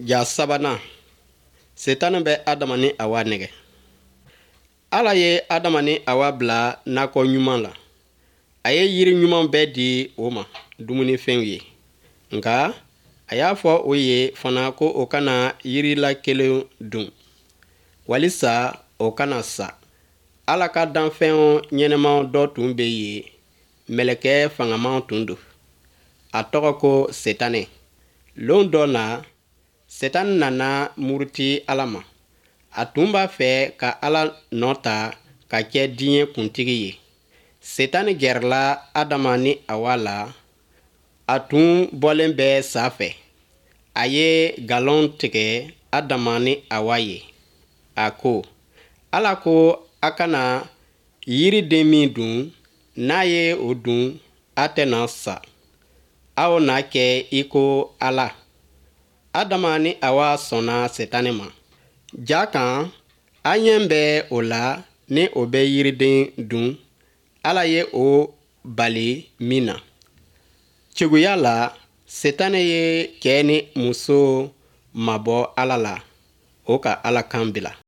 Ja sabanan, Setani bɛ Adama ni Awa nɛgɛ. Ala ye Adama ni Awa bila nakɔ ɲuman la. A ye yiri ɲuman bɛɛ di o ma dumunifɛnw ye. Nka a y'a fɔ o ye fana ko o kana yiri la kelen dun, walisa o kana sa. Ala ka danfɛnw ɲɛnamaw dɔ tun bɛ yen, mɛlɛkɛ fangamaw tun don. A tɔgɔ ko Setanɛ. Lon dɔ la, Setani nana muruti Ala ma. A tun b'a fɛ ka Ala nɔ ta ka kɛ diɲɛ kuntigi ye. Setani gɛrɛla Adama ni Awa la. A tun bɔlen bɛ sa fɛ. A ye nkalon tigɛ Adama ni Awa ye. A ko, Ala ko a kana yiriden min dun, n'a ye o dun, a tɛna sa. Aw na kɛ i ko Ala. Adama ni Awa sɔnna Setani ma. Ja kan, an ɲɛ bɛ o la ni o bɛ yiriden dun, Ala ye o bali min na. Cogoya la, Setani ye cɛ ni muso mabɔ Ala la, o ka Ala kan bila.